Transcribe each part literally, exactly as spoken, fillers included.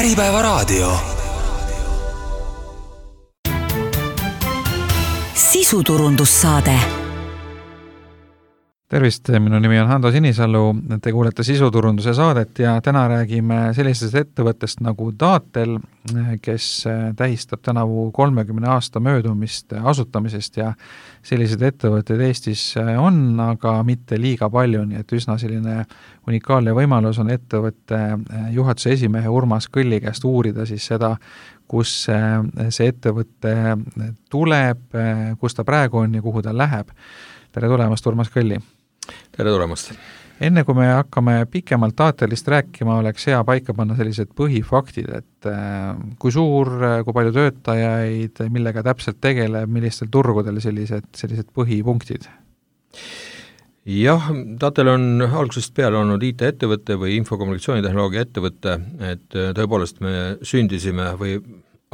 Äripäevaraadio. Sisuturundussaade. Tervist, minu nimi on Hando Sinisalu, te kuulete Sisuturunduse saadet ja täna räägime sellisest ettevõttest nagu Datel, kes tähistab tänavu kolmekümne aasta möödumist asutamisest ja sellised ettevõtted Eestis on, aga mitte liiga palju, nii et üsna selline unikaalne võimalus on ettevõtte juhatuse esimehe Urmas Kõlli käest uurida siis seda, kus see ettevõtte tuleb, kus ta praegu on ja kuhu ta läheb. Tere tulemast, Urmas Kõlli! Tere tulemast! Enne kui me hakkame pikemalt Datelist rääkima, oleks hea paika panna sellised põhifaktid, et kui suur, kui palju töötajaid, millega täpselt tegeleb, millistel turgudel sellised, sellised põhipunktid? Jah, Datel on algusest peale olnud I T-ettevõte või infokommunikatsioonitehnoloogia ettevõte, et tõepoolest me sündisime või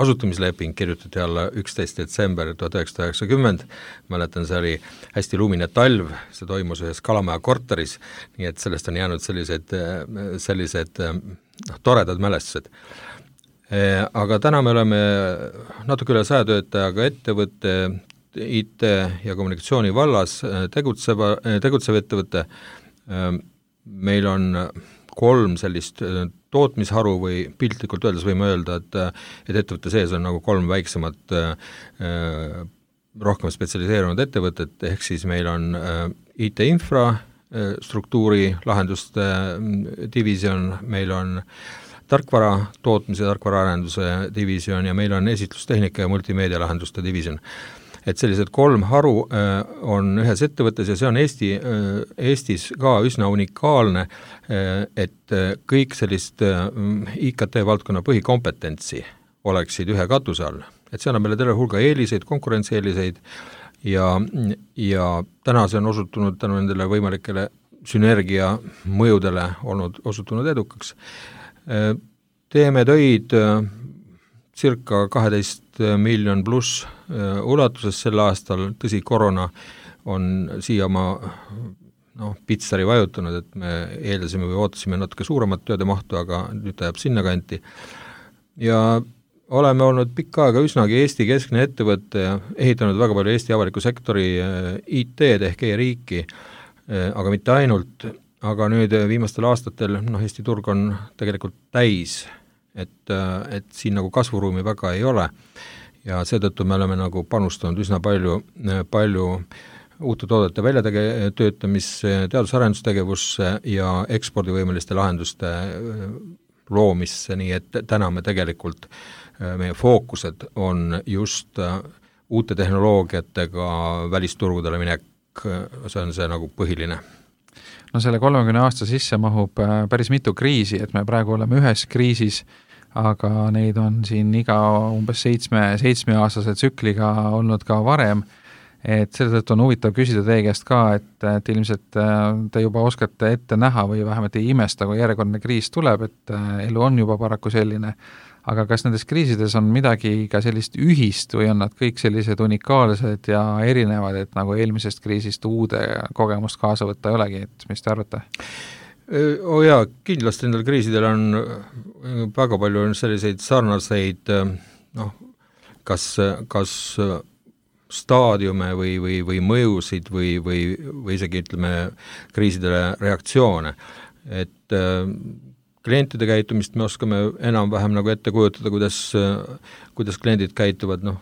asutamisleping kirjutati alla üksteist detsember tuhat üheksasada üheksakümmend, mäletan, see oli hästi lumine talv, see toimus ühes Kalamaja korteris, nii et sellest on jäänud sellised, sellised noh, toredad mälestused. Aga täna me oleme natuke üle saja töötajaga ettevõtte, I T ja kommunikatsiooni vallas tegutseva, tegutsev ettevõte. Meil on kolm sellist tootmisharu või piltlikult öeldes võime öelda, et, et ettevõtte sees on nagu kolm väiksemat rohkem spetsialiseerunud ettevõtet, ehk siis meil on I T-infra struktuuri lahenduste division, meil on tarkvara tootmise, tarkvara arenduse division ja meil on esitlustehnika ja multimeedia lahenduste division. Et sellised kolm haru on ühes ettevõttes ja see on Eesti, Eestis ka üsna unikaalne, et kõik sellist I K T-valdkonna põhikompetentsi oleksid ühe katuse all. Et see annab meile terve hulga eeliseid, konkurentsieeliseid ja, ja täna see on osutunud tänu nendele võimalikele sünergia mõjudele olnud osutunud edukaks. Teeme töid circa kaheteist miljon pluss ulatuses sel aastal, tõsi, korona on siia oma no, pitsari vajutanud, et me eeldasime või ootasime natuke suuremat tööde mahtu, aga nüüd ta jääb sinna kanti. Ja oleme olnud pikka aega üsnagi Eesti keskne ettevõtte ja ehitanud väga palju Eesti avaliku sektori I T-d ehk e-riiki, aga mitte ainult, aga nüüd viimastel aastatel no, Eesti turg on tegelikult täis, et, et siin nagu kasvuruumi väga ei ole ja seetõttu me oleme nagu panustanud üsna palju, palju uute toodete väljatöötamisse, teadus-arendustegevusse ja ekspordivõimeliste lahenduste loomisse, nii et täna me tegelikult, meie fookused on just uute tehnoloogiatega välisturgudele minek, see on see nagu põhiline. No selle kolmekümne aasta sisse mahub päris mitu kriisi, et me praegu oleme ühes kriisis, aga neid on siin iga umbes seitsme, seitsmeaastase tsükliga olnud ka varem, et seetõttu on huvitav küsida teie käest ka, et, et ilmselt te juba oskate ette näha või vähemalt ei imesta, kui järjekordne kriis tuleb, et elu on juba paraku selline, aga kas nendes kriisides on midagi ka sellist ühist või on nad kõik sellised unikaalsed ja erinevad, et nagu eelmisest kriisist uude kogemust kaasa võtta ei olegi, et mis te arvate? O jaa, kindlasti nendel kriisidel on väga palju selliseid sarnaseid noh, kas, kas staadiume või, või, või mõjusid või, või, või isegi ütleme kriisidele reaktsioone, et klientide käitumist me oskame enam-vähem nagu ette kujutada, kuidas, kuidas kliendid käituvad, noh,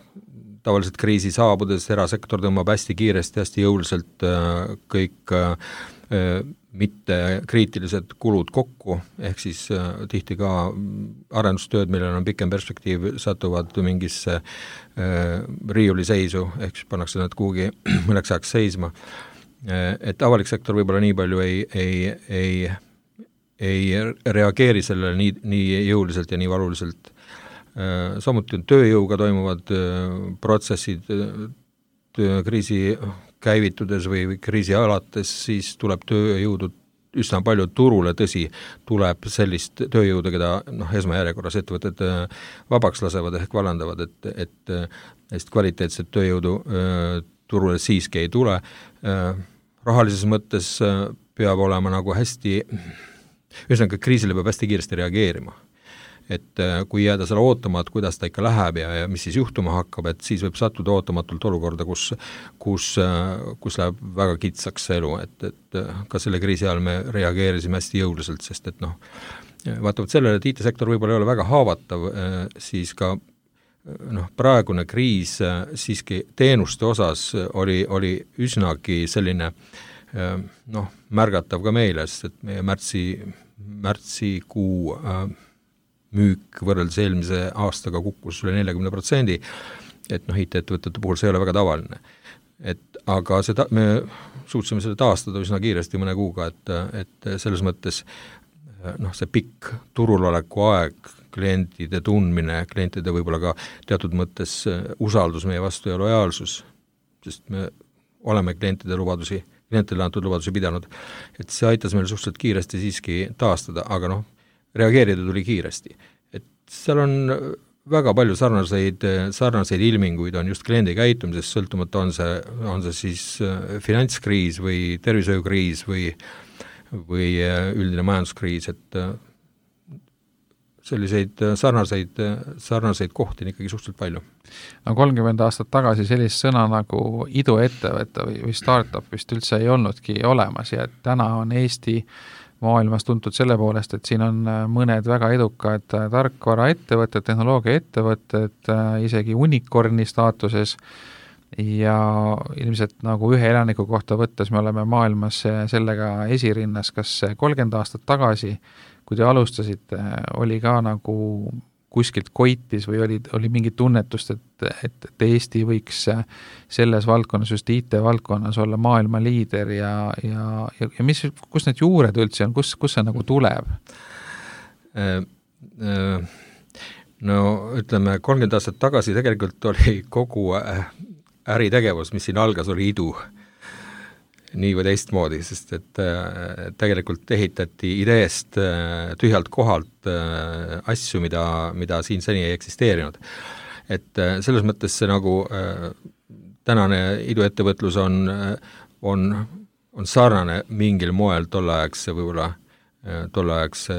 tavaliselt kriisi saabudes erasektor tõmbab hästi kiiresti, hästi jõuliselt kõik mitte kriitilised kulud kokku, ehk siis tihti ka arendustööd, millel on pikem perspektiiv, satuvad mingisse riiuliseisu, ehk siis pannakse nad kuhugi mõneks ajaks seisma. Et avalik sektor võib-olla nii palju ei, ei, ei ei reageeri sellele nii, nii jõuliselt ja nii valuliselt. Samuti on tööjõuga toimuvad protsessid kriisi käivitudes või kriisi alates, siis tuleb tööjõudu üsna palju turule, tõsi, tuleb sellist tööjõudu, keda noh, esmajärjekorras ettevõtted vabaks lasevad ehk vallandavad, et, et neist kvaliteetset tööjõudu turule siiski ei tule. Rahalises mõttes peab olema nagu hästi ühesõnaga kriisile peab hästi kiiresti reageerima. et kui jääda selle ootama, et kuidas ta ikka läheb ja, ja mis siis juhtuma hakkab, et siis võib sattuda ootamatult olukorda, kus, kus, kus läheb väga kitsaks see elu, et, et ka selle kriisi ajal me reageerisime hästi jõuliselt, sest et noh, vaatavalt sellele, et I T-sektor võib-olla ei ole väga haavatav, siis ka noh, praegune kriis siiski teenuste osas oli, oli üsnagi selline noh, märgatav ka meile, sest et meie märtsi, märtsikuu äh, müük võrreldes eelmise aastaga kukkus üle neljakümne protsendi, et noh, I T-ettevõtete puhul see ei ole väga tavaline. Et aga seda, me suutsime seda taastada üsna kiiresti mõne kuuga, et, et selles mõttes noh, see pikk turuloleku aeg, klientide tundmine, klientide võib-olla ka teatud mõttes usaldus meie vastu ja lojaalsus, sest me oleme klientide lubadusi, klientidele antud lubadusi pidanud, et see aitas meil suhteliselt kiiresti siiski taastada, aga noh, reageerida tuli kiiresti. Et seal on väga palju sarnaseid, sarnaseid ilminguid on just kliendi käitumisest, sõltumata on see, on see siis finantskriis või tervishoiukriis või, või üldine majanduskriis, et selliseid sarnaseid, sarnaseid kohti on ikkagi suhteliselt palju. No kolmkümmend aastat tagasi sellist sõna nagu iduettevõte või, või startup vist üldse ei olnudki olemas ja täna on Eesti maailmas tuntud selle poolest, et siin on mõned väga edukad tarkvaraettevõtted, tehnoloogiaettevõtted, isegi unicorni staatuses ja ilmselt nagu ühe elaniku kohta võttes me oleme maailmas sellega esirinnas, kas kolmkümmend aastat tagasi, kui te alustasite, oli ka nagu kuskilt koitis või oli, oli mingi tunnetust, et, et, et Eesti võiks selles valdkonnas, just I T-valdkonnas olla maailma liider ja, ja, ja, ja mis, kus need juured üldse on, kus, kus see nagu tuleb? No ütleme, kolmkümmend aastat tagasi tegelikult oli kogu äritegevus, mis siin algas, oli idu nii või teistmoodi, sest et äh, tegelikult ehitati ideest äh, tühjalt kohalt äh, asju, mida, mida siin seni ei eksisteerinud. Et äh, selles mõttes see nagu äh, tänane iduettevõtlus on, on, on sarnane mingil moel tolleaegse võib-olla tolleaegse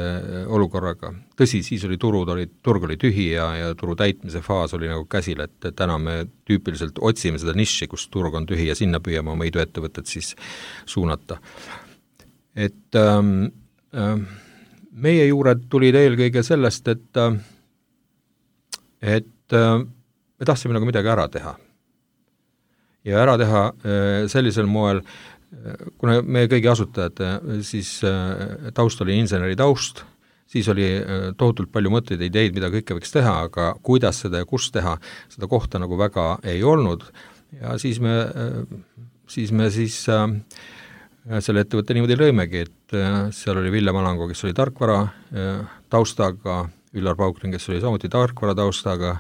olukorraga. Tõsi, siis oli turud, oli, turg oli tühi ja, ja turu täitmise faas oli nagu käsil, et täna me tüüpiliselt otsime seda niši, kus turg on tühi ja sinna püüame oma iduettevõtet siis suunata. Et ähm, äh, meie juured tulid eelkõige sellest, et, et äh, me tahtsime nagu midagi ära teha. Ja ära teha äh, sellisel moel, kuna meie kõigi asutajad, siis taust oli inseneri taust, siis oli tohutult palju mõtteid, ideid, mida kõike võiks teha, aga kuidas seda ja kus teha, seda kohta nagu väga ei olnud. Ja siis me siis, me siis selle ettevõtte niimoodi lõimegi, et seal oli Ville Malango, kes oli tarkvara taustaga, Üllar Paukling, kes oli samuti tarkvara taustaga,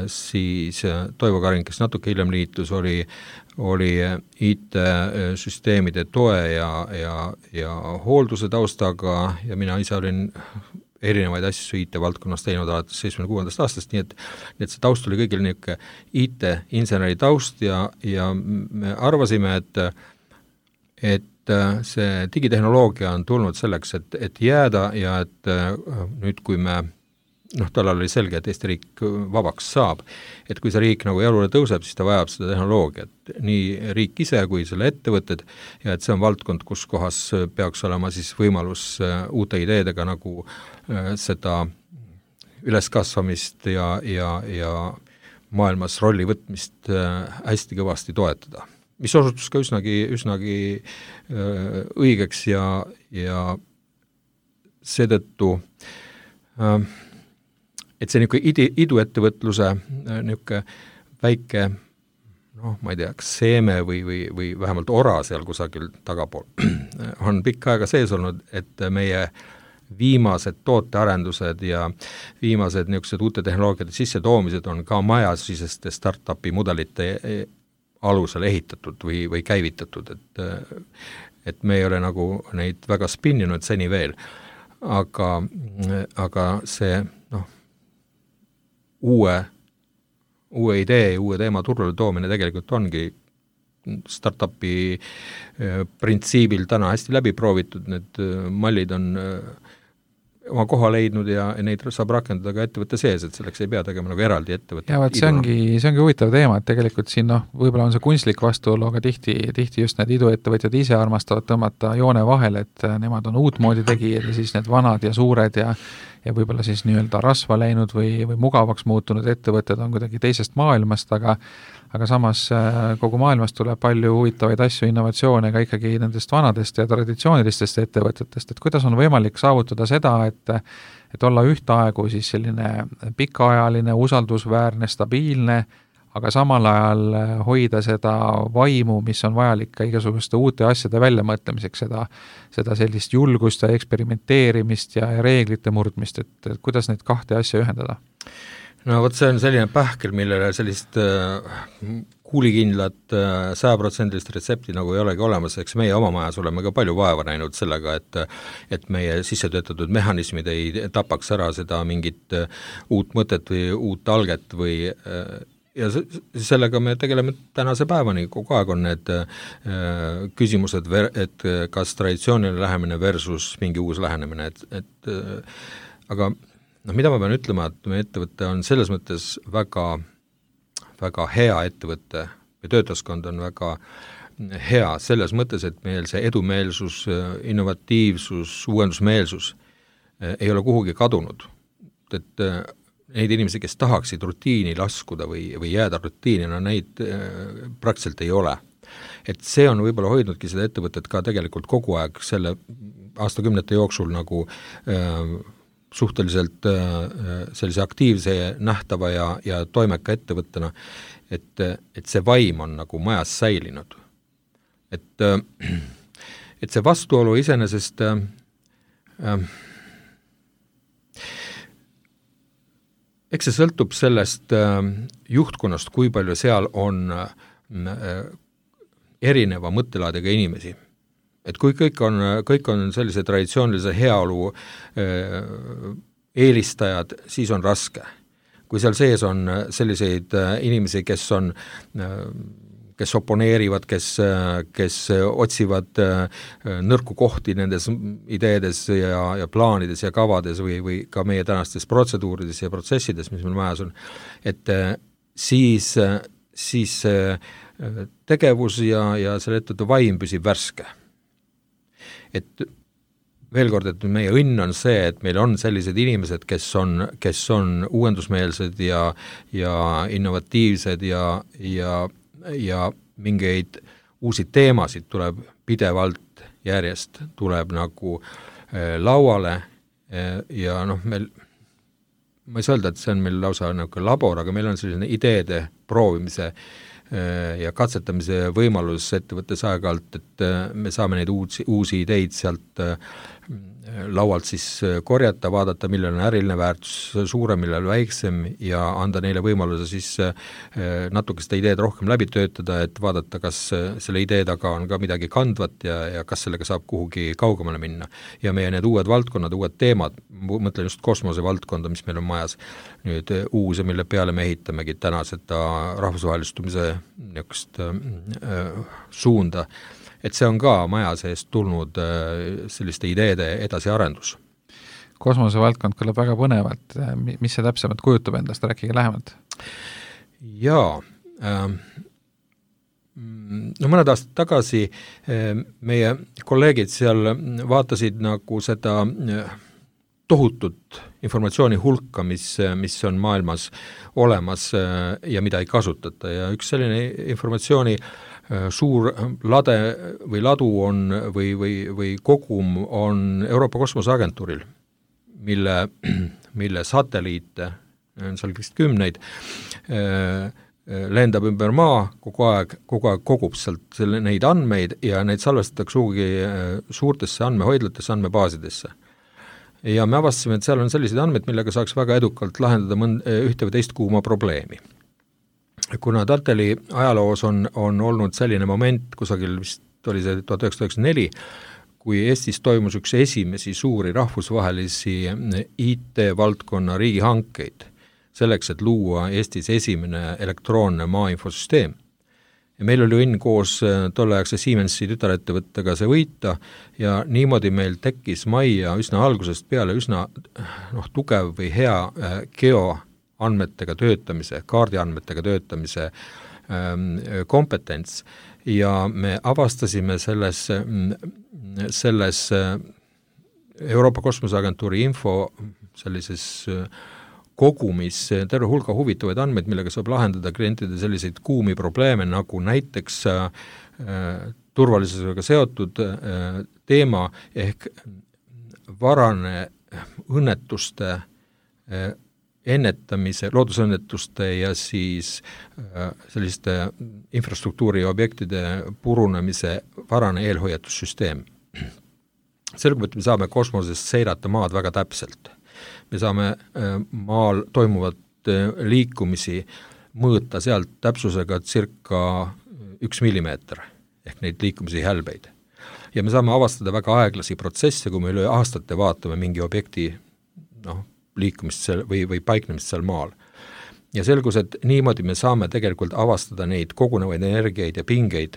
siis Toivo Karin, kes natuke hiljem liitus, oli, oli I T-süsteemide toe ja, ja, ja hoolduse taustaga ja mina ise olin erinevaid asju I T-valdkonnas teinud alates seitsmekümne kuuendast aastast, nii et, nii et see taust oli kõigil niisugune I T-inseneri taust ja, ja me arvasime, et, et see digitehnoloogia on tulnud selleks, et, et jääda ja et nüüd, kui me noh, tal oli selge, et Eesti riik vabaks saab, et kui see riik nagu jalule tõuseb, siis ta vajab seda tehnoloogiat, nii riik ise kui selle ettevõtted ja et see on valdkond, kus kohas peaks olema siis võimalus uute ideedega nagu seda üleskasvamist ja, ja, ja maailmas rolli võtmist hästi kõvasti toetada. Mis osutus ka üsnagi, üsnagi õigeks ja, ja seetõttu et see niisugune iduettevõtluse niisugune väike, noh, ma ei tea, kas seeme või, või, või vähemalt ora seal kusagil tagapool on pikka aega sees olnud, et meie viimased tootearendused ja viimased niisugused uute tehnoloogiate sissetoomised on ka majasiseste startupi mudelite alusel ehitatud või, või käivitatud, et, et me ei ole nagu neid väga spinninud seni veel, aga, aga see noh, uue, uue idee, uue teema turule toomine tegelikult ongi startupi printsiibil täna hästi läbi proovitud, need mallid on oma koha leidnud ja neid saab rakendada ka ettevõtte sees, et selleks ei pea tegema nagu eraldi ettevõtte. Ja vaat see ongi, see ongi huvitav teema, et tegelikult siin noh, võib-olla on see kunstlik vastuolu, aga tihti, tihti just need iduettevõtjad ise armastavad tõmmata joone vahele, et nemad on uutmoodi tegijad ja siis need vanad ja suured ja ja võib-olla siis nii-öelda rasva läinud või, või mugavaks muutunud ettevõtted on kuidagi teisest maailmast, aga aga samas kogu maailmast tuleb palju huvitavaid asju, innovatsioone ka ikkagi nendest vanadest ja traditsioonilistest ettevõtetest, et kuidas on võimalik saavutada seda, et et olla ühtaegu siis selline pikaajaline, usaldusväärne, stabiilne, aga samal ajal hoida seda vaimu, mis on vajalik ka igasuguste uute asjade väljamõtlemiseks, seda, seda sellist julgust ja eksperimenteerimist ja reeglite murdmist, et, et kuidas neid kahte asja ühendada? No vot, see on selline pähkel, millele sellist äh, kuulikindlat sajaprotsendilist retsepti nagu ei olegi olemas, eks meie oma majas oleme ka palju vaeva näinud sellega, et et meie sissetöötatud mehhanismid ei tapaks ära seda mingit uut mõtet või uut alget või ja sellega me tegeleme tänase päevani, kogu aeg on need äh, küsimused, et kas traditsiooniline lähenemine versus mingi uus lähenemine, et, et äh, aga noh, mida ma pean ütlema, et meie ettevõte on selles mõttes väga, väga hea ettevõte või töötaskond on väga hea selles mõttes, et meil see edumeelsus, innovatiivsus, uuendusmeelsus äh, ei ole kuhugi kadunud, et äh, neid inimesi, kes tahaksid rutiini laskuda või, või jääda rutiini, no neid äh, praktiliselt ei ole. Et see on võib-olla hoidnudki seda ettevõtet ka tegelikult kogu aeg selle aastakümnete jooksul nagu äh, suhteliselt äh, sellise aktiivse, nähtava ja, ja toimeka ettevõttena, et, et see vaim on nagu majas säilinud. Et, äh, et see vastuolu iseenesest äh, äh, eks see sõltub sellest äh, juhtkonnast, kui palju seal on äh, erineva mõttelaadiga inimesi. Et kui kõik on, kõik on sellise traditsioonilise heaolu äh, eelistajad, siis on raske. Kui seal sees on selliseid äh, inimesi, kes on äh, kes oponeerivad, kes, kes otsivad nõrku kohti nendes ideedes ja, ja plaanides ja kavades või, või ka meie tänastes protseduurides ja protsessides, mis meil majas on, et siis, siis tegevus ja, ja selle ettevõtte vaim püsib värske. Et veel kord, et meie õnn on see, et meil on sellised inimesed, kes on, kes on uuendusmeelsed ja, ja innovatiivsed ja, ja ja mingeid uusi teemasid tuleb pidevalt järjest, tuleb nagu äh, lauale äh, ja noh, meil, ma ei saa öelda, et see on meil lausa nagu labor, aga meil on selline ideede proovimise äh, ja katsetamise võimalus ettevõttes aeg-ajalt, et äh, me saame neid uusi, uusi ideid sealt äh, laualt siis korjata, vaadata, millel on äriline väärtus suurem, millel väiksem ja anda neile võimaluse siis natuke seda ideed rohkem läbi töötada, et vaadata, kas selle idee taga on ka midagi kandvat ja, ja kas sellega saab kuhugi kaugemale minna. Ja meie need uued valdkonnad, uued teemad, mõtlen just kosmose valdkonda, mis meil on majas nüüd uus ja mille peale me ehitamegi täna seda rahvusvahelistumise niisugust äh, suunda, et see on ka maja seest tulnud selliste ideede edasiarendus. Kosmose valdkond kõlab väga põnevalt. Mis see täpsemalt kujutab endast? Rääkige lähemalt. Jaa. No mõned aastad tagasi meie kolleegid seal vaatasid nagu seda tohutut informatsiooni hulka, mis, mis on maailmas olemas ja mida ei kasutata ja üks selline informatsiooni suur lade või ladu on või, või, või kogum on Euroopa Kosmoseagentuuril, mille, mille satelliite, on seal vist kümneid, lendab ümber maa kogu aeg, kogu aeg kogub sealt selle, neid andmeid ja neid salvestatakse suugi suurtesse andmehoidlatesse, andmebaasidesse. Ja me avastasime, et seal on sellised andmed, millega saaks väga edukalt lahendada mõnd, ühte või teist kuuma probleemi. Kuna Tateli ajaloos on, on olnud selline moment, kusagil vist oli see tuhat üheksasada üheksakümmend neli, kui Eestis toimus üks esimesi suuri rahvusvahelisi I T-valdkonna riigihankeid selleks, et luua Eestis esimene elektroonne maainfosüsteem. ja meil oli õnn koos tolleaegse Siemensi tütarettevõttega see võita ja niimoodi meil tekkis majja üsna algusest peale üsna noh, tugev või hea geoandmetega töötamise, kaardiandmetega töötamise ähm, kompetents ja me avastasime selles, selles Euroopa Kosmoseagentuuri info sellises kogumis terve hulga huvitavaid andmeid, millega saab lahendada klientide selliseid kuumi probleeme, nagu näiteks äh, turvalisusega seotud äh, teema ehk varane õnnetuste äh, ennetamise, loodusõnnetuste ja siis äh, selliste infrastruktuuri objektide purunemise varane eelhoiatussüsteem. Sellega, et me saame kosmosest seirata maad väga täpselt. Me saame maal toimuvat liikumisi mõõta sealt täpsusega circa üks millimeeter ehk neid liikumisi hälbeid. Ja me saame avastada väga aeglasi protsesse, kui me üle aastate vaatame mingi objekti noh, liikumist seal või, või paiknemist seal maal. Ja selgus, et niimoodi me saame tegelikult avastada neid kogunevaid energiaid ja pingeid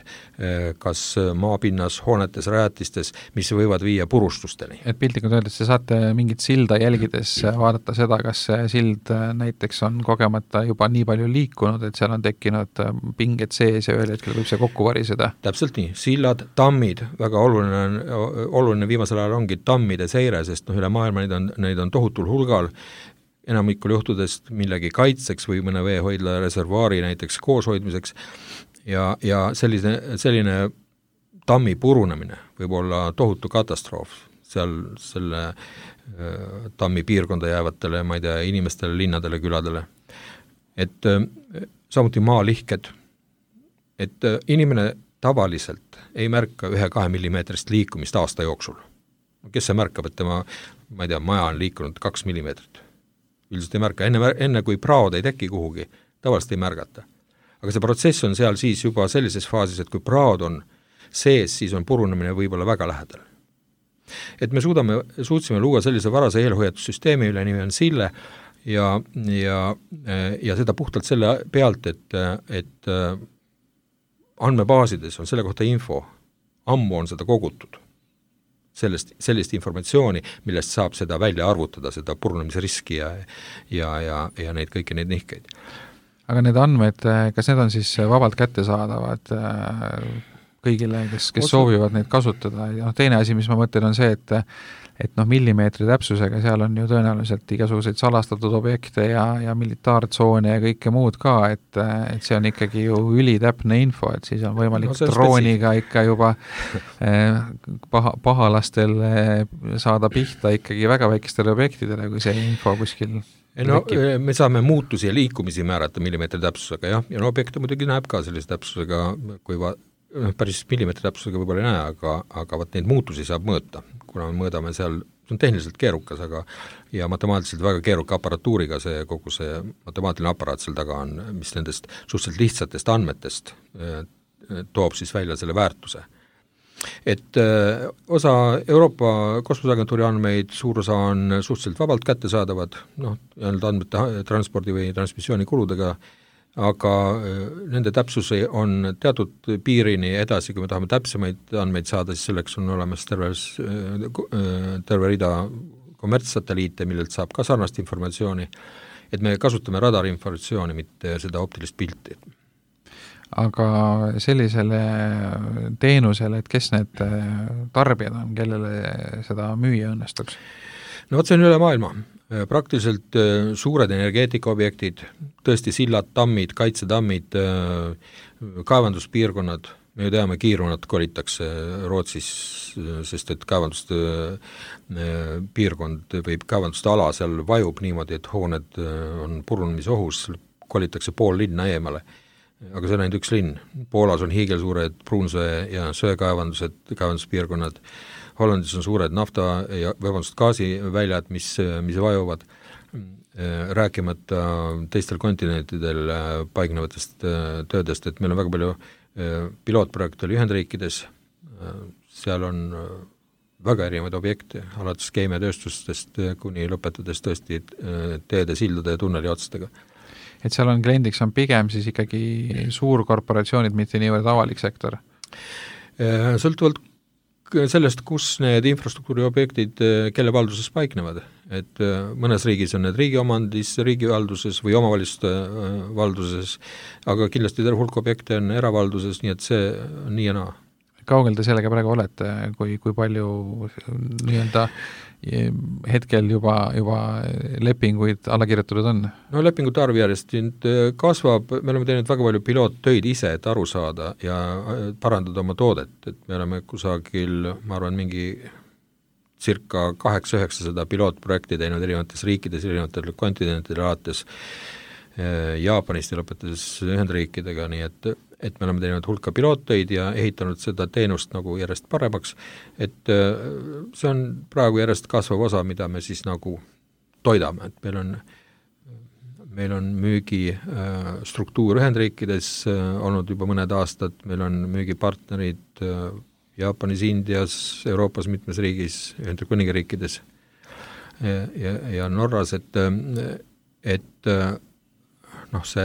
kas maapinnas, hoonetes, rajatistes, mis võivad viia purustusteni. Et piltlikult öeldes, te saate mingit silda jälgides vaadata seda, kas see sild näiteks on kogemata juba nii palju liikunud, et seal on tekkinud pinged sees ja ühel hetkel võib see kokku variseda. Täpselt nii. Sillad, tammid, väga oluline, oluline viimasel ajal ongi tammide seire, sest no, üle maailma neid on, neid on tohutul hulgal, enamikul juhtudest millegi kaitseks või mõne veehoidla reservaari näiteks kooshoidmiseks ja, ja selline, selline tammi purunemine võib olla tohutu katastroof seal selle äh, tammi piirkonda jäävatele, ma ei tea, inimestele, linnadele, küladele. Et äh, samuti maalihked, et äh, inimene tavaliselt ei märka ühe-kahe millimeetrist liikumist aasta jooksul. Kes see märkab, et tema, ma ei tea, maja on liikunud kaks millimeetrit? Üldiselt ei märka, enne, enne kui praod ei teki kuhugi, tavaliselt ei märgata. Aga see protsess on seal siis juba sellises faasis, et kui praod on sees, siis on purunemine võib-olla väga lähedal. Et me suudame, suutsime luua sellise varase eelhoiatussüsteemi, üle nimi on Sille ja, ja, ja seda puhtalt selle pealt, et, et andmebaasides on selle kohta info, ammu on seda kogutud. Sellest, sellist informatsiooni, millest saab seda välja arvutada, seda purunemise riski ja, ja, ja, ja neid kõiki neid nihkeid. Aga need andmed, kas need on siis vabalt kättesaadavad kõigile, kes, kes Osa... soovivad neid kasutada? Ja no, teine asi, mis ma mõtlen, on see, et et noh, millimeetri täpsusega seal on ju tõenäoliselt igasuguseid salastatud objekte ja, ja militaartsoone ja kõike muud ka, et, et see on ikkagi ju ülitäpne info, et siis on võimalik no, drooniga ikka juba eh, paha, pahalastel saada pihta ikkagi väga väikestele objektidele, kui see info kuskil no, me saame muutusi ja liikumisi määrata millimeetri täpsusega, jah, ja no objekte muidugi näeb ka sellise täpsusega, kui va, päris millimeetri täpsusega võib-olla ei näe, aga, aga vaat neid muutusi saab mõõta, kuna me mõõdame seal, see on tehniliselt keerukas, aga ja matemaatiliselt väga keeruka aparatuuriga see, kogu see matemaatiline aparaat seal taga on, mis nendest suhteliselt lihtsatest andmetest eh, toob siis välja selle väärtuse. Et eh, osa Euroopa Kosmoseagentuuri andmeid, suur osa on suhteliselt vabalt kättesaadavad, noh, andmete transpordi või transmissiooni kuludega, aga nende täpsus on teatud piirini edasi, kui me tahame täpsemaid andmeid saada, siis selleks on olemas terve, terve rida kommertssatelliite, millelt saab ka sarnast informatsiooni, et me kasutame radarinformatsiooni, mitte seda optilist pilti. Aga sellisele teenusele, et kes need tarbijad on, kellele seda müüa õnnestuks? No võt, see on üle maailma. Praktiliselt suured energeetikaobjektid, tõesti sillad, tammid, kaitsetammid, kaevanduspiirkonnad, me ju teame, kiirunad kolitakse Rootsis, sest et kaevanduste piirkond või kaevanduste ala seal vajub niimoodi, et hooned on purunemise ohus, kolitakse pool linna eemale. Aga see on ainult üks linn. Poolas on hiigelsuured pruunsöe ja söekaevandused, kaevanduspiirkonnad, Hollandis on suured nafta ja vabandust gaasiväljad, mis, mis vajuvad, rääkimata teistel kontinentidel paignevatest töödest, et meil on väga palju pilootprojekte Ühendriikides, seal on väga erinevaid objekte, alates keemiatööstustest kuni lõpetades tõesti teede, sildade ja tunneli otstega. et seal on kliendiks on pigem siis ikkagi suurkorporatsioonid, mitte niivõrd avalik sektor? Sõltuvalt sellest, kus need infrastruktuuri objektid, kelle valduses paiknevad, et mõnes riigis on need riigi omandis, riigi valduses või omavalitsuste valduses, aga kindlasti terve hulk objekte on eravalduses, nii et see on nii ja naa. Kaugel te sellega praegu olete, kui, kui palju nii-öelda hetkel juba, juba lepinguid alla kirjutatud on? No lepingute arv järjest kasvab, me oleme teinud väga palju piloottöid ise, et aru saada ja parandada oma toodet, et me oleme kusagil, ma arvan, mingi circa kaheksa-üheksasada pilootprojekti teinud erinevates riikides, erinevatel kontinentidel alates Jaapanist ja lõpetades Ühendriikidega, nii et, et me oleme teinud hulka piloottöid ja ehitanud seda teenust nagu järjest paremaks, et see on praegu järjest kasvav osa, mida me siis nagu toidame, et meil on, meil on müügi struktuur Ühendriikides olnud juba mõned aastad, meil on müügipartnerid Jaapanis, Indias, Euroopas mitmes riigis, Ühendkuningriikides ja, ja, ja Norras, et, et noh, see,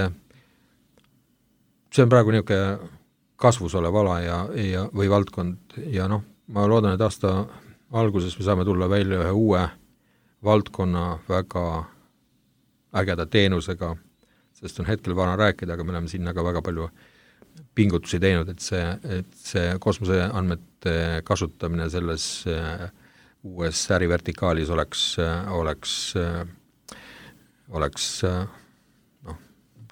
see on praegu niisugune kasvus olev ala ja, ja, või valdkond ja noh, ma loodan, et aasta alguses me saame tulla välja ühe uue valdkonna väga ägeda teenusega, sest on hetkel vana rääkida, aga me oleme sinna ka väga palju pingutusi teinud, et see, et see kosmoseandmete kasutamine selles uues ärivertikaalis oleks, oleks, oleks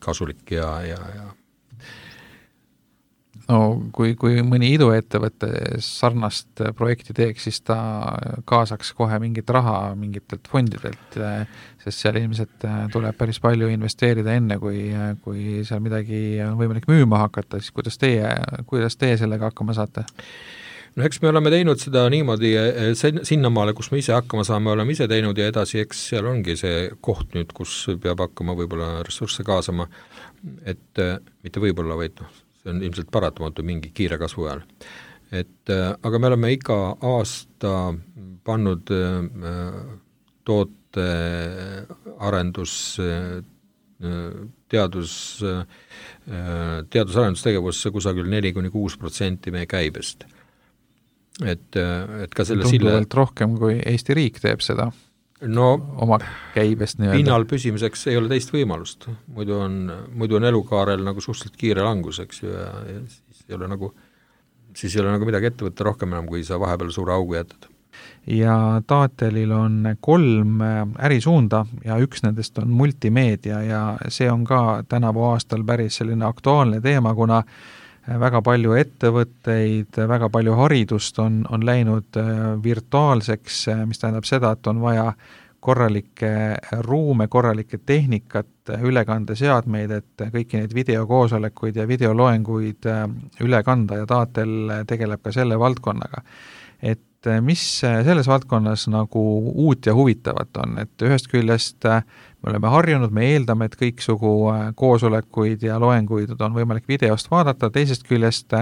kasulik ja, ja, ja. No kui, kui mõni iduettevõtte sarnast projekti teeks, siis ta kaasaks kohe mingit raha mingitelt fondidelt, sest seal ilmselt tuleb päris palju investeerida enne, kui, kui seal midagi on võimalik müüma hakata, siis kuidas teie, kuidas teie sellega hakkama saate? No eks me oleme teinud seda niimoodi sinnamaale, kus me ise hakkama saame, oleme ise teinud ja edasi, eks seal ongi see koht nüüd, kus peab hakkama võib-olla ressursse kaasama, et mitte võib-olla, vaid noh, see on ilmselt paratamatu mingi kiire kasvu ajal. Et aga me oleme iga aasta pannud toote arendus, teadus, teadusarendustegevus kusagil neli kuni kuus protsenti meie käibest. Et, et ka selle tunduvalt sille... rohkem, kui Eesti riik teeb seda no, oma käibest nii-öelda. Pinnal püsimiseks ei ole teist võimalust, muidu on, muidu on elukaarel nagu suhteliselt kiire langus, eks ju, ja, ja siis ei ole nagu, siis ei ole nagu midagi ette võtta rohkem enam, kui sa vahepeal suure augu jätad. Ja Taatelil on kolm ärisuunda ja üks nendest on multimeedia ja see on ka tänavu aastal päris selline aktuaalne teema, kuna väga palju ettevõtteid, väga palju haridust on, on läinud virtuaalseks, mis tähendab seda, et on vaja korralikke ruume, korralikke tehnikat, ülekandeseadmeid, et kõiki neid videokoosolekuid ja videoloenguid üle kanda ja Taatel tegeleb ka selle valdkonnaga. Et mis selles valdkonnas nagu uut ja huvitavat on, et ühest küljest me oleme harjunud, me eeldame, et kõiksugu koosolekuid ja loenguid on võimalik videost vaadata, teisest küljest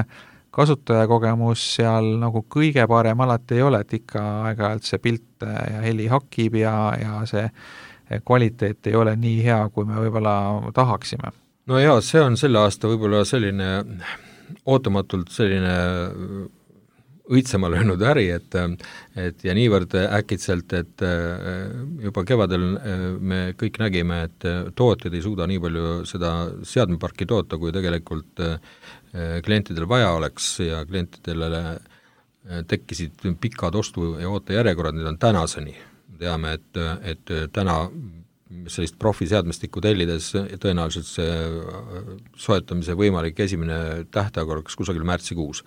kasutajakogemus seal nagu kõige parem alati ei ole, et ikka aeg-ajalt see pilt ja heli hakib ja, ja see kvaliteet ei ole nii hea, kui me võib-olla tahaksime. No jaa, see on selle aasta võib-olla selline ootamatult selline õitsema löönud äri, et, et ja niivõrd äkitselt, et juba kevadel me kõik nägime, et tootjad ei suuda nii palju seda seadmeparki toota, kui tegelikult klientidel vaja oleks ja klientidele tekkisid pikad ostu- ja ootejärjekorrad, need on tänaseni. Teame, et, et täna sellist profiseadmestikku tellides tõenäoliselt see soetamise võimalik esimene tähtaeg oleks kusagil märtsikuus.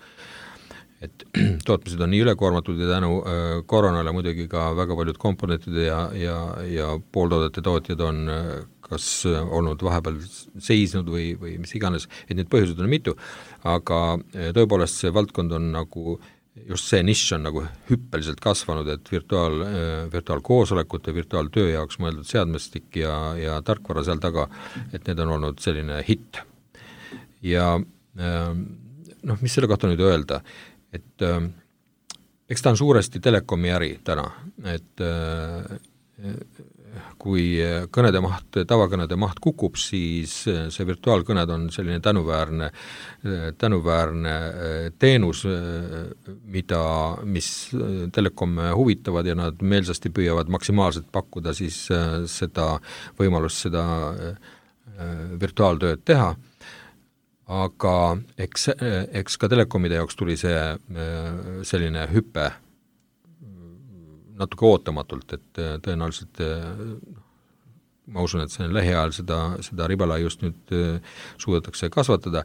Et tootmised on nii ülekoormatud ja tänu äh, koronale muidugi ka väga paljud komponentide ja, ja, ja pooltoodete tootjad on äh, kas olnud vahepeal seisnud või, või mis iganes, et need põhjused on mitu, aga äh, tõepoolest see valdkond on nagu, just see nišš on nagu hüppeliselt kasvanud, et virtuaal, äh, virtuaalkoosolekute, virtuaaltöö jaoks mõeldud seadmestik ja, ja tarkvara seal taga, et need on olnud selline hitt. Ja äh, noh, mis selle kohta nüüd öelda, et äh, eks ta on suuresti telekomi äri täna, et, äh, kui kõnede maht, tavakõnede maht kukub, siis see virtuaalkõned on selline tänuväärne, tänuväärne teenus, mida, mis telekomme huvitavad ja nad meelsasti püüavad maksimaalselt pakkuda siis seda võimalust seda virtuaaltööd teha, aga eks, eks ka telekomide jaoks tuli see selline hüpe natuke ootamatult, et tõenäoliselt ma usun, et see lähiajal seda, seda ribalaiust nüüd suudetakse kasvatada,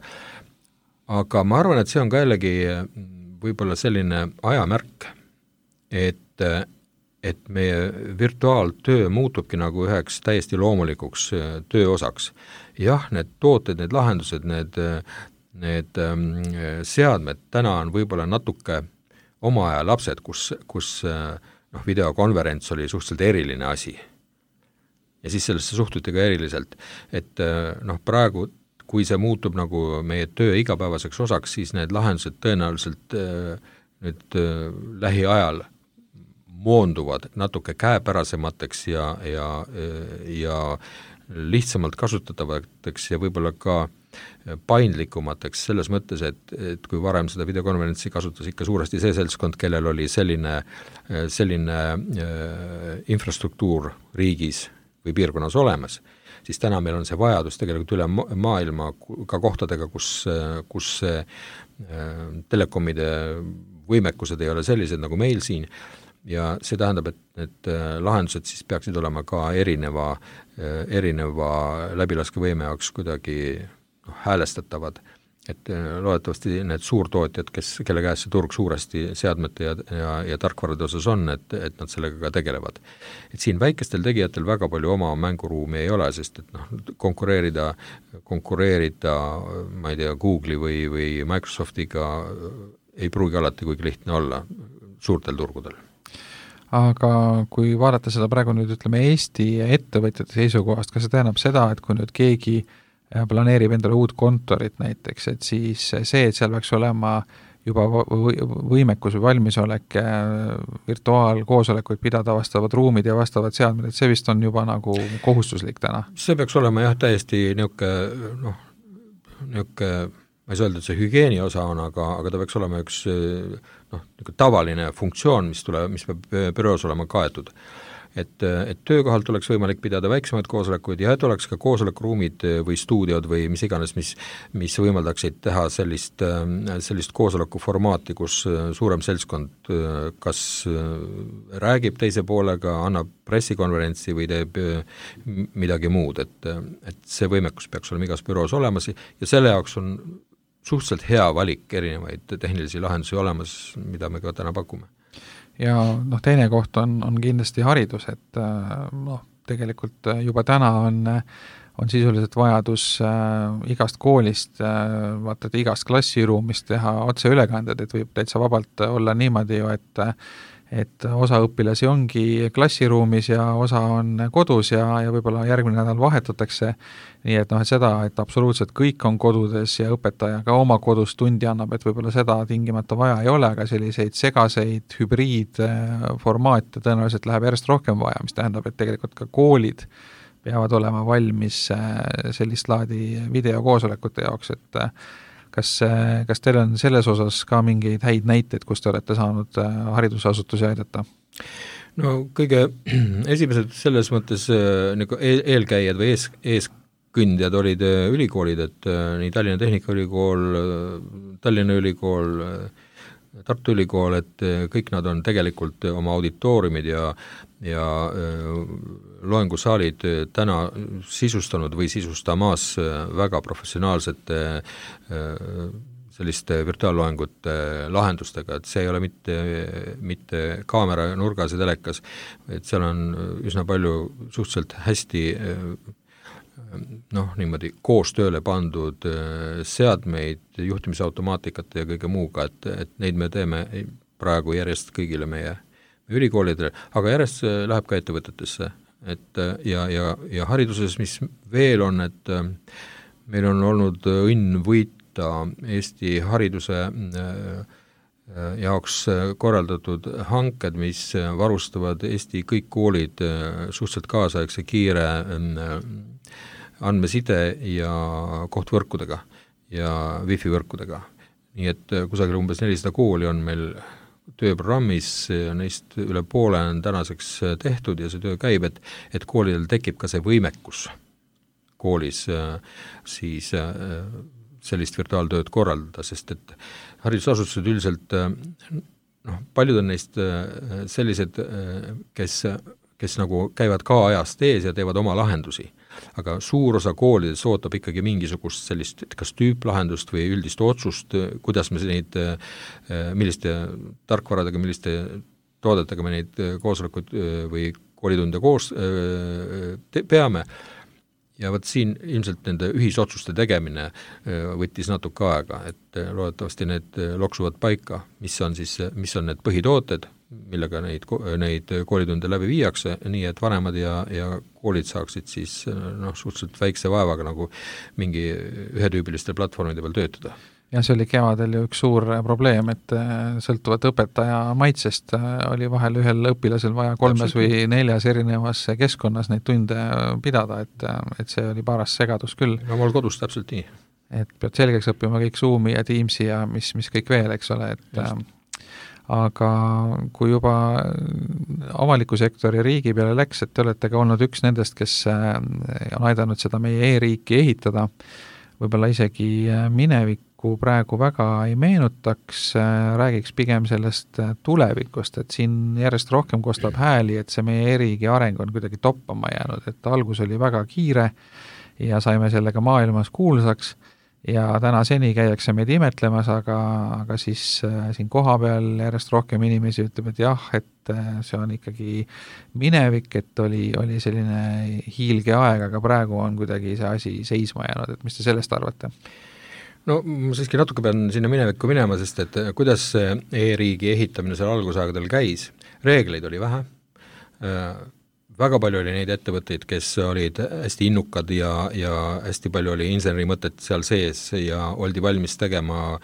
aga ma arvan, et see on ka jällegi võib-olla selline ajamärk, et, et meie virtuaaltöö muutubki nagu üheks täiesti loomulikuks tööosaks. Jah, need tooted, need lahendused, need, need seadmed täna on võib-olla natuke oma aja lapsed, kus, kus noh, videokonverents oli suhteliselt eriline asi. Ja siis sellesse suhtuti ka eriliselt, et noh, praegu, kui see muutub nagu meie töö igapäevaseks osaks, siis need lahendused tõenäoliselt nüüd lähiajal moonduvad natuke käepärasemateks ja, ja, ja lihtsamalt kasutatavateks ja võib-olla ka paindlikumateks selles mõttes, et, et kui varem seda videokonverentsi kasutas ikka suuresti see seltskond, kellel oli selline, selline äh, infrastruktuur riigis või piirkonnas olemas, siis täna meil on see vajadus tegelikult üle maailma ka kohtadega, kus, kus äh, telekomide võimekused ei ole sellised nagu meil siin ja see tähendab, et need lahendused siis peaksid olema ka erineva, erineva läbilaskevõime jaoks kuidagi noh, häälestatavad, et loodetavasti need suurtootjad, kes, kelle käes see turg suuresti seadmete ja, ja, ja tarkvarade osas on, et, et nad sellega ka tegelevad. Et siin väikestel tegijatel väga palju oma mänguruumi ei ole, sest et noh, konkureerida, konkureerida, ma ei tea, Google'i või, või Microsoftiga ei pruugi alati kuigi lihtne olla suurtel turgudel. Aga kui vaadata seda praegu nüüd, ütleme, Eesti ettevõtjate seisukohast, kas see tähendab seda, et kui nüüd keegi planeerib endale uut kontorit näiteks, et siis see, et seal peaks olema juba võimekus või valmisolek virtuaalkoosolekuid pidada vastavad ruumid ja vastavad seadmed, et see vist on juba nagu kohustuslik täna? See peaks olema jah täiesti niuke, noh, niuke, ma ei saa öelda, et see hügieeni osa on, aga, aga ta peaks olema üks noh, tavaline funktsioon, mis, tule, mis peab büroos olema kaetud. Et, et töökohalt oleks võimalik pidada väiksemaid koosolekuid ja et oleks ka koosolekuruumid või stuudiod või mis iganes, mis, mis võimaldaksid teha sellist, sellist koosolekuformaati, kus suurem seltskond kas räägib teise poolega, annab pressikonverentsi või teeb midagi muud, et, et see võimekus peaks olema igas büroos olemas ja selle jaoks on suhteliselt hea valik erinevaid tehnilisi lahendusi olemas, mida me ka täna pakume. Ja noh, teine koht on, on kindlasti haridus, et noh, tegelikult juba täna on, on sisuliselt vajadus äh, igast koolist, äh, vaata, et igast klassiruumist teha otseülekanded, et võib täitsa vabalt olla niimoodi ju, et et osa õpilasi ongi klassiruumis ja osa on kodus ja, ja võib-olla järgmine nädal vahetatakse, nii et noh, et seda, et absoluutselt kõik on kodudes ja õpetaja ka oma kodus tundi annab, et võib-olla seda tingimata vaja ei ole, aga selliseid segaseid hübriidformaate tõenäoliselt läheb järjest rohkem vaja, mis tähendab, et tegelikult ka koolid peavad olema valmis sellist laadi videokoosolekute jaoks, et Kas, kas teil on selles osas ka mingeid häid näiteid, kus te olete saanud haridusasutusi aidata? No kõige esimesed selles mõttes nagu eelkäijad või ees, eeskõndjad olid ülikoolid, et nii Tallinna Tehnikaülikool, Tallinna Ülikool, Tartu Ülikool, et kõik nad on tegelikult oma auditooriumid ja, ja loengusaalid täna sisustanud või sisustamas väga professionaalsete selliste virtuaalloengute lahendustega, et see ei ole mitte, mitte kaamera nurgas ja telekas, et seal on üsna palju suhteliselt hästi noh, niimoodi koostööle pandud seadmeid, juhtimisautomaatikat ja kõige muuga, et, et neid me teeme praegu järjest kõigile meie ülikoolidele, aga järjest läheb ka ettevõtetesse. Et, ja, ja, ja hariduses, mis veel on, et meil on olnud õnn võita Eesti hariduse jaoks korraldatud hanked, mis varustavad Eesti kõik koolid suhteliselt kaasaegse kiire andmeside ja kohtvõrkudega ja wifi võrkudega. Nii et kusagil umbes nelisada kooli on meil tööprogrammis, neist üle poole on tänaseks tehtud ja see töö käib, et, et koolidel tekib ka see võimekus koolis siis sellist virtuaaltööd korraldada, sest et haridusasutused üldiselt, noh, paljud on neist sellised, kes, kes nagu käivad ka ajast ees ja teevad oma lahendusi, aga suur osa koolides ootab ikkagi mingisugust sellist kas tüüplahendust või üldist otsust, kuidas me neid, milliste tarkvaradega, milliste toodetega me neid koosolekuid või koolitunde koos te, peame. Ja võt siin ilmselt nende ühisotsuste tegemine võttis natuke aega, et loodetavasti need loksuvad paika, mis on siis, mis on need põhitooted, millega neid, neid koolitunde läbi viiakse, nii et vanemad ja, ja koolid saaksid siis noh, suhteliselt väikse vaevaga nagu mingi ühetüübiliste platvormide peal töötada. Ja see oli kevadel ju üks suur probleem, et sõltuvat õpetaja maitsest oli vahel ühel õpilasel vaja kolmes Täpselt. Või neljas erinevas keskkonnas neid tunde pidada, et, et see oli paras segadus küll. No mul kodus täpselt nii. Et pead selgeks õppima kõik Zoomi ja Teamsi ja mis, mis kõik veel, eks ole, et Just. Aga kui juba avaliku sektori riigi peale läks, et te olete ka olnud üks nendest, kes on aidanud seda meie e-riiki ehitada, võib-olla isegi minevikku praegu väga ei meenutaks, räägiks pigem sellest tulevikust, et siin järjest rohkem kostab hääli, et see meie e-riigi areng on kuidagi toppama jäänud, et algus oli väga kiire ja saime sellega maailmas kuulsaks ja täna seni käiakse meid imetlemas, aga, aga siis äh, siin koha peal järjest rohkem inimesi ütleb, et jah, et äh, see on ikkagi minevik, et oli, oli selline hiilge aeg, aga praegu on kuidagi see asi seisma jäänud, et mis te sellest arvate? No ma siiski natuke pean sinna minevikku minema, sest et kuidas e-riigi ehitamine seal algusaegadel käis, reegleid oli vähe, äh, väga palju oli neid ettevõtteid, kes olid hästi innukad ja, ja hästi palju oli inseneri mõtet seal sees ja oldi valmis tegema,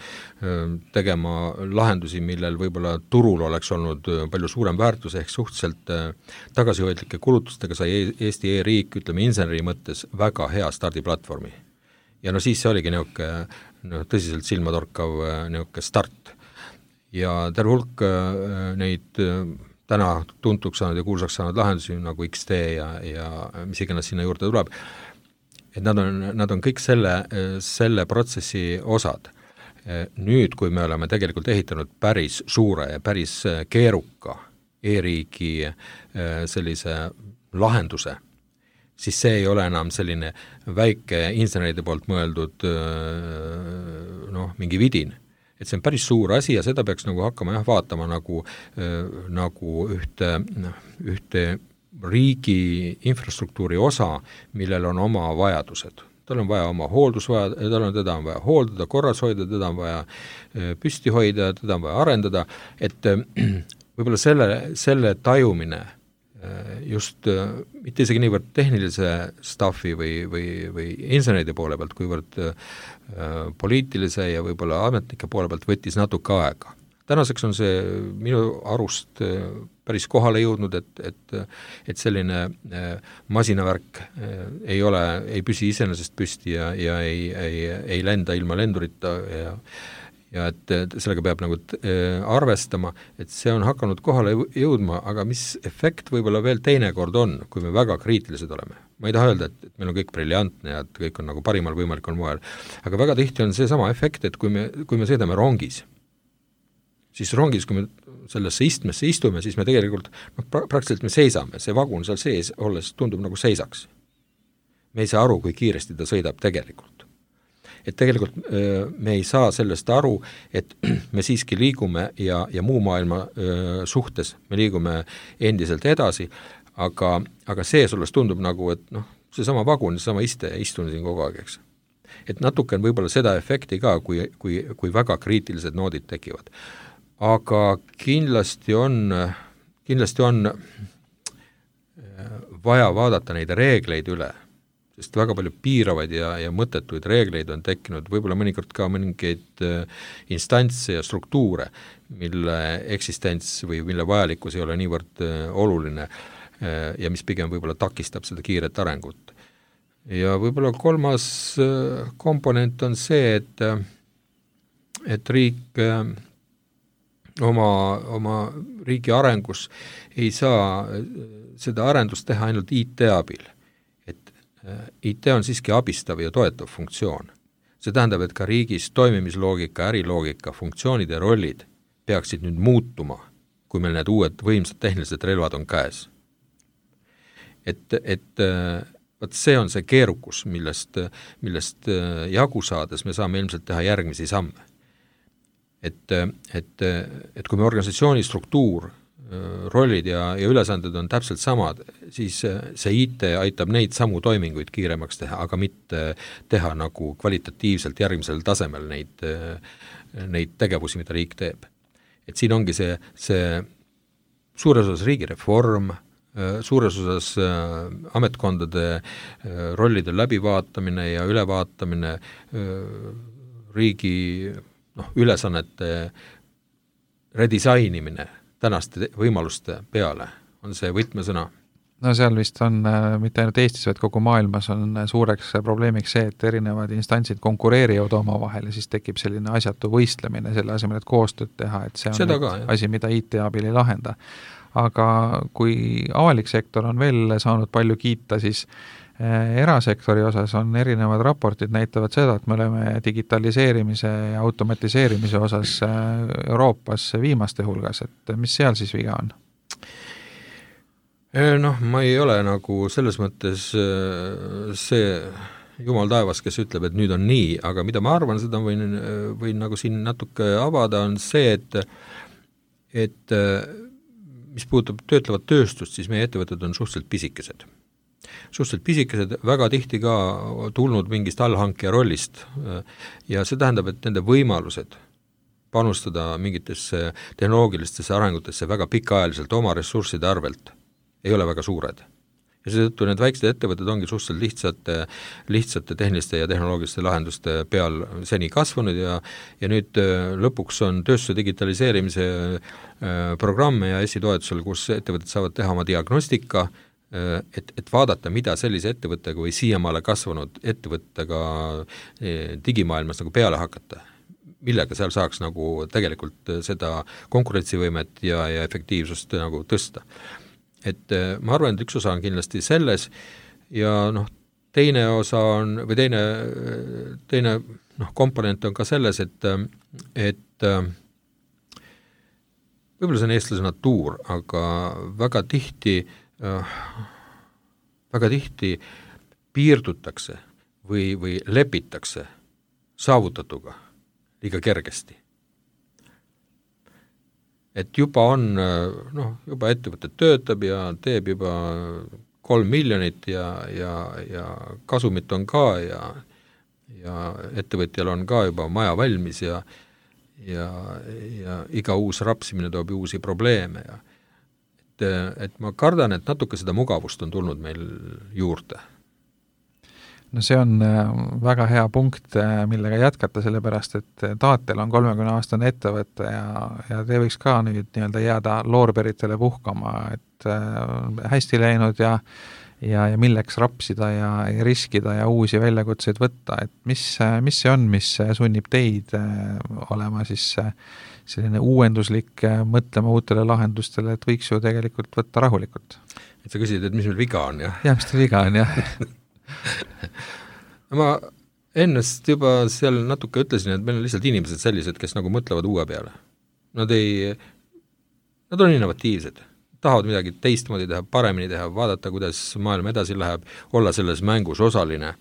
tegema lahendusi, millel võib-olla turul oleks olnud palju suurem väärtus, ehk suhteliselt tagasihoidlike kulutustega sai Eesti e-riik, ütleme inseneri mõttes, väga hea stardiplatvormi. Ja no siis see oligi niuke, no, tõsiselt silmatorkav niuke start. Ja terve hulk neid täna tuntuks saanud ja kuulsaks saanud lahendusi nagu X T ja, ja mis iganes sinna juurde tuleb, et nad on, nad on kõik selle, selle protsessi osad. Nüüd, kui me oleme tegelikult ehitanud päris suure ja päris keeruka e-riigi sellise lahenduse, siis see ei ole enam selline väike inseneride poolt mõeldud noh, mingi vidin. Et see on päris suur asi ja seda peaks nagu hakkama jah, vaatama nagu, äh, nagu ühte, ühte riigi infrastruktuuri osa, millel on oma vajadused. Tal on vaja oma hooldusvaja, tal on teda on vaja hooldada, korras hoida, teda on vaja äh, püsti hoida, teda on vaja arendada, et äh, võib-olla selle, selle tajumine äh, just äh, mitte isegi niivõrd tehnilise staffi või, või, või inseneride poole pealt, kuivõrd äh, poliitilise ja võib-olla ametnike poole pealt võttis natuke aega. Tänaseks on see minu arust päris kohale jõudnud, et, et, et selline masinavärk ei ole, ei püsi iseenesest püsti ja, ja ei, ei, ei lenda ilma lendurita ja, ja et sellega peab nagu arvestama, et see on hakanud kohale jõudma, aga mis efekt võib-olla veel teinekord on, kui me väga kriitilised oleme. Ma ei taha öelda, et, et meil on kõik briljantne ja et kõik on nagu parimal võimalikul moel, aga väga tihti on see sama efekt, et kui me, kui me sõidame rongis, siis rongis, kui me sellesse istmesse istume, siis me tegelikult, no praktiliselt me seisame, see vagun seal sees olles tundub nagu seisaks. Me ei saa aru, kui kiiresti ta sõidab tegelikult. Et tegelikult me ei saa sellest aru, et me siiski liigume ja, ja muu maailma suhtes, me liigume endiselt edasi, aga, aga see sules tundub nagu, et noh, see sama vagun, see sama iste, istun siin kogu aeg, eks. Et natuke on võib-olla seda efekti ka, kui, kui, kui väga kriitilised noodid tekivad. Aga kindlasti on, kindlasti on vaja vaadata neid reegleid üle, sest väga palju piiravaid ja, ja mõttetuid reegleid on tekkinud, võib-olla mõnikord ka mõningaid instantse ja struktuure, mille eksistents või mille vajalikkus ei ole niivõrd oluline ja mis pigem võib-olla takistab seda kiiret arengut. Ja võib-olla kolmas komponent on see, et, et riik oma, oma riigi arengus ei saa seda arendust teha ainult I T abil. I T on siiski abistav ja toetav funktsioon. See tähendab, et ka riigis toimimisloogika, äriloogika, funktsioonid ja rollid peaksid nüüd muutuma, kui meil need uued võimsad tehnilised relvad on käes. Et, et võt see on see keerukus, millest, millest jagu saades me saame ilmselt teha järgmisi samme. Et, et, et kui me organisatsiooni struktuur, rollid ja, ja ülesanded on täpselt samad, siis see I T aitab neid samu toiminguid kiiremaks teha, aga mitte teha nagu kvalitatiivselt järgmisel tasemel neid, neid tegevusi, mida riik teeb. Et siin ongi see, see suures osas riigireform, suures osas ametkondade rollide läbivaatamine ja ülevaatamine, riigi noh, ülesannete redisainimine tänaste võimaluste peale on see võtmesõna. No seal vist on äh, mitte ainult Eestis, vaid kogu maailmas on suureks probleemiks see, et erinevad instantsid konkureerivad oma vahel ja siis tekib selline asjatu võistlemine selle asemel, et koostööd teha, et see on Seda ka, asi, mida I T abil ei lahenda. Aga kui avalik sektor on veel saanud palju kiita, siis äh, erasektori osas on erinevad raportid näitavad seda, et me oleme digitaliseerimise ja automatiseerimise osas äh, Euroopas viimaste hulgas, et mis seal siis viga on? Noh, ma ei ole nagu selles mõttes see jumal taevas, kes ütleb, et nüüd on nii, aga mida ma arvan, seda võin, võin nagu siin natuke avada, on see, et, et mis puudutab töötlevat tööstust, siis meie ettevõtted on suhteliselt pisikesed. Suhteliselt pisikesed, väga tihti ka tulnud mingist allhankija rollist ja see tähendab, et nende võimalused panustada mingitesse tehnoloogilistesse arengutesse väga pikaajaliselt oma ressursside arvelt ei ole väga suured. Ja seetõttu need väiksed ettevõtted ongi suhteliselt lihtsate, lihtsate tehniliste ja tehnoloogiliste lahenduste peal seni kasvanud ja, ja nüüd lõpuks on tööstuse digitaliseerimise programme ja esitoetusel, kus ettevõtted saavad teha oma diagnostika, et, et vaadata, mida sellise ettevõttega või siiamaale kasvanud ettevõttega digimaailmas nagu peale hakata, millega seal saaks nagu tegelikult seda konkurentsivõimet ja, ja efektiivsust nagu tõsta. Et ma arvan, et üks osa on kindlasti selles ja noh, teine osa on, või teine, teine noh, komponent on ka selles, et, et võib-olla see on eestlase natuur, aga väga tihti, väga tihti piirdutakse või, või lepitakse saavutatuga liiga kergesti. Et juba on, noh, juba ettevõte töötab ja teeb juba kolm miljonit ja, ja, ja kasumit on ka ja, ja ettevõtjal on ka juba maja valmis ja, ja, ja iga uus rapsimine toob uusi probleeme ja et, et ma kardan, et natuke seda mugavust on tulnud meil juurde. No see on väga hea punkt, millega jätkata, sellepärast, et Taatel on kolmekümne aastane ettevõte ja, ja te võiks ka nüüd nii-öelda jääda loorberitele puhkama, et hästi läinud ja, ja, ja milleks rapsida ja, ja riskida ja uusi väljakutseid võtta, et mis, mis see on, mis sunnib teid olema siis selline uuenduslik, mõtlema uutele lahendustele, et võiks ju tegelikult võtta rahulikult. Et sa küsid, et mis meil viga on, jah? Jah, mis teil viga on, jah. ma ennast juba seal natuke ütlesin, et meil on lihtsalt inimesed sellised, kes nagu mõtlevad uue peale. Nad ei, nad on innovatiivsed, tahavad midagi teistmoodi teha, paremini teha, vaadata, kuidas maailm edasi läheb, olla selles mängus osaline.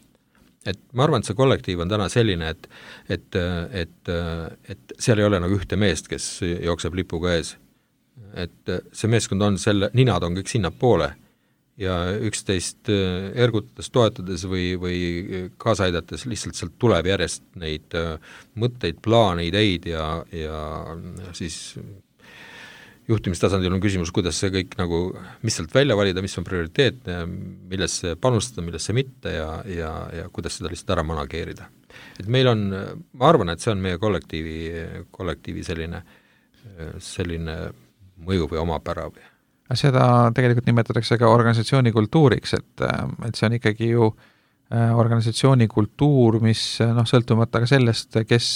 Et ma arvan, et see kollektiiv on täna selline, et, et, et, et seal ei ole nagu ühte meest, kes jookseb lipuga ees. Et see meeskond on selle, ninad on kõik sinna poole ja üksteist ergutades, toetades või, või kaasa aidates lihtsalt sealt tuleb järjest neid mõtteid, plaane, ideid ja, ja siis juhtimistasandil on küsimus, kuidas see kõik nagu, mis sealt välja valida, mis on prioriteetne, millesse panustada, millesse mitte ja, ja, ja kuidas seda lihtsalt ära manageerida. Et meil on, ma arvan, et see on meie kollektiivi, kollektiivi selline, selline mõju või omapära või. Seda tegelikult nimetatakse ka organisatsiooni kultuuriks, et, et see on ikkagi ju organisatsiooni kultuur, mis noh, sõltumata ka sellest, kes,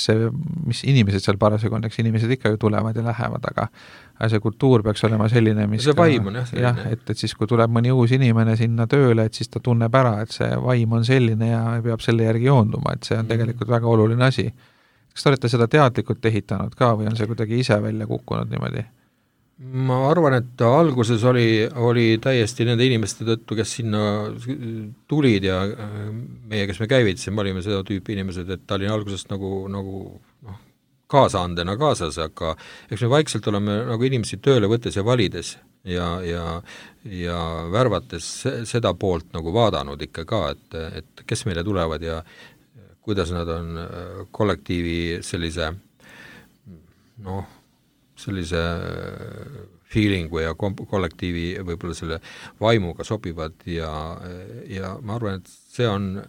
mis inimesed seal parasjagu on, eks inimesed ikka ju tulevad ja lähevad, aga see kultuur peaks olema selline, mis see vaim on jah, jah, et, et siis, kui tuleb mõni uus inimene sinna tööle, et siis ta tunneb ära, et see vaim on selline ja peab selle järgi joonduma, et see on tegelikult väga oluline asi. Kas te olete seda teadlikult ehitanud ka või on see kuidagi ise välja kukkunud niimoodi? Ma arvan, et alguses oli, oli täiesti nende inimeste tõttu, kes sinna tulid ja meie, kes me käivitasin, me olime seda tüüpi inimesed, et ta oli algusest nagu, nagu noh, kaasaandena kaasas, aga eks me vaikselt oleme nagu inimesi tööle võttes ja valides ja, ja, ja värvates seda poolt nagu vaadanud ikka ka, et, et kes meile tulevad ja kuidas nad on kollektiivi sellise noh, sellise feelingu ja kollektiivi võib-olla selle vaimuga sobivad ja, ja ma arvan, et see on,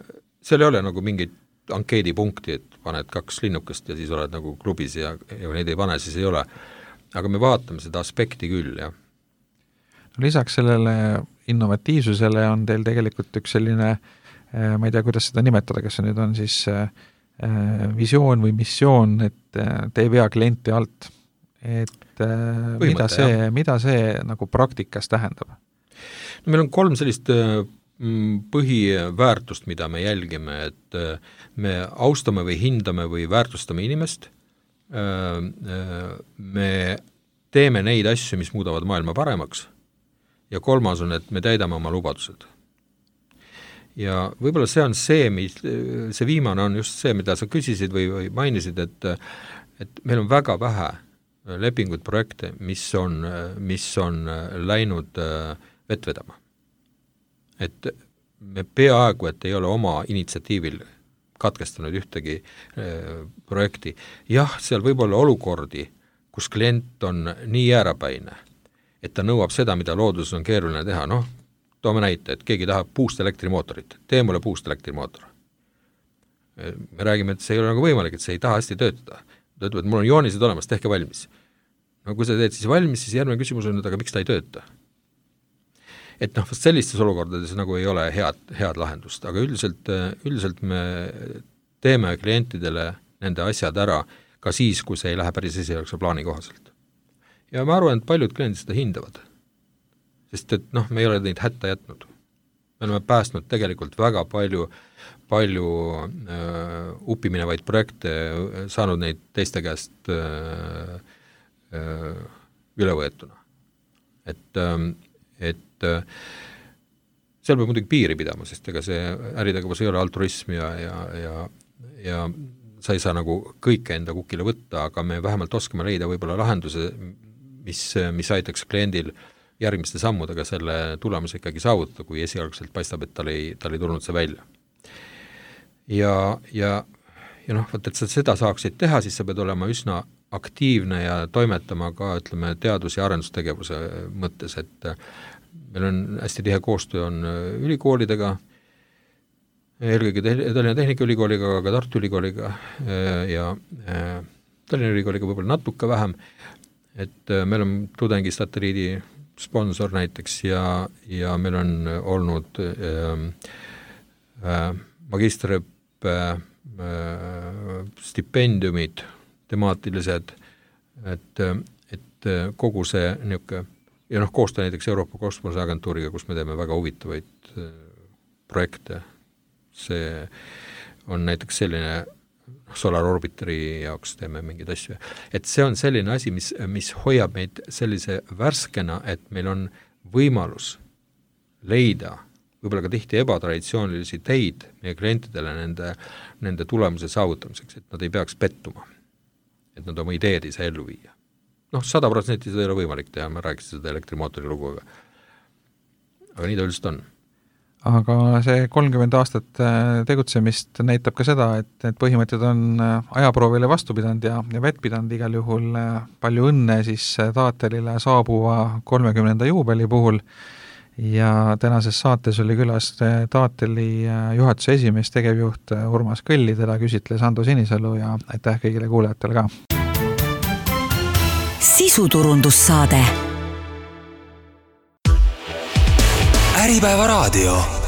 seal ei ole nagu mingit ankeedipunkti, et paned kaks linnukest ja siis oled nagu klubis ja, ja neid ei pane, siis ei ole. Aga me vaatame seda aspekti küll, jah. No, lisaks sellele innovatiivsusele on teil tegelikult üks selline, ma ei tea, kuidas seda nimetada, kas see nüüd on siis visioon või missioon, et te ei vea klienti alt. Et mida see, mida see nagu praktikas tähendab? No, meil on kolm sellist põhiväärtust, mida me jälgime, et me austame või hindame või väärtustame inimest, me teeme neid asju, mis muudavad maailma paremaks ja kolmas on, et me täidame oma lubadused. Ja võib-olla see on see, mis, see viimane on just see, mida sa küsisid või, või mainisid, et, et meil on väga vähe lepingud, projekte, mis on, mis on läinud vett vedama. Et me peaaegu, et ei ole oma initsiatiivil katkestanud ühtegi projekti. Jah, seal võib olla olukordi, kus klient on nii jäärapäine, et ta nõuab seda, mida looduses on keeruline teha. Noh, toome näite, et keegi tahab puust elektrimootorit. Tee mulle puust elektrimootor. Me räägime, et see ei ole nagu võimalik, et see ei taha hästi töötada. Ta ütleb, et mul on joonised olemas, tehke valmis. No kui sa teed siis valmis, siis järgmine küsimus on, et aga miks ta ei tööta? Et noh, sellistes olukordades nagu ei ole head, head lahendust, aga üldiselt, üldiselt me teeme klientidele nende asjad ära ka siis, kui see ei lähe päris esialgse plaani kohaselt. Ja ma arvan, et paljud kliendid seda hindavad, sest et noh, me ei ole neid hätta jätnud. Me oleme päästnud tegelikult väga palju, palju äh, uppiminevaid projekte, saanud neid teiste käest äh, üle võetuna. Et, et seal peab muidugi piiri pidama, sest ega see äritegevus ei ole altruism ja, ja, ja, ja sa ei saa nagu kõike enda kukile võtta, aga me vähemalt oskame leida võib-olla lahenduse, mis, mis aitaks kliendil järgmiste sammudega selle tulemuse ikkagi saavutada, kui esialgselt paistab, et tal ei, tal ei tulnud see välja. Ja, ja, ja noh, võt, et sa seda saaksid teha, siis sa pead olema üsna aktiivne ja toimetama ka, ütleme, teadus- ja arendustegevuse mõttes, et meil on hästi tihe koostöö on ülikoolidega, eelkõige Tallinna Tehnikaülikooliga, aga Tartu Ülikooliga ja Tallinna Ülikooliga võib-olla natuke vähem, et meil on tudengisatelliidi sponsor näiteks ja, ja meil on olnud äh, äh, magistriõppe äh, stipendiumid, temaatilised, et, et kogu see niisugune, ja noh, koostöö näiteks Euroopa Kosmoseagentuuriga, kus me teeme väga huvitavaid projekte, see on näiteks selline Solar Orbiteri jaoks teeme mingeid asju. Et see on selline asi, mis, mis hoiab meid sellise värskena, et meil on võimalus leida võib-olla ka tihti ebatraditsioonilisi teid meie klientidele nende, nende tulemuse saavutamiseks, et nad ei peaks pettuma, et nad oma ideed ei saa ellu viia. Noh, sada protsenti seda ei ole võimalik teha, ma rääkisin seda elektrimootori lugu, aga, aga nii ta üldiselt on. aga see kolmkümmend aastat tegutsemist näitab ka seda, et need põhimõtted on ajaproovile vastu pidanud ja, ja vett pidanud igal juhul. Palju õnne siis Taatelile saabuva kolmekümnenda juubeli puhul ja tänases saates oli külas Taateli juhatuse esimees, tegevjuht Urmas Kõlli, teda küsitles Ando Sinisalu ja aitäh kõigile kuulajatele ka. Sisuturundussaade. Äripäeva raadio.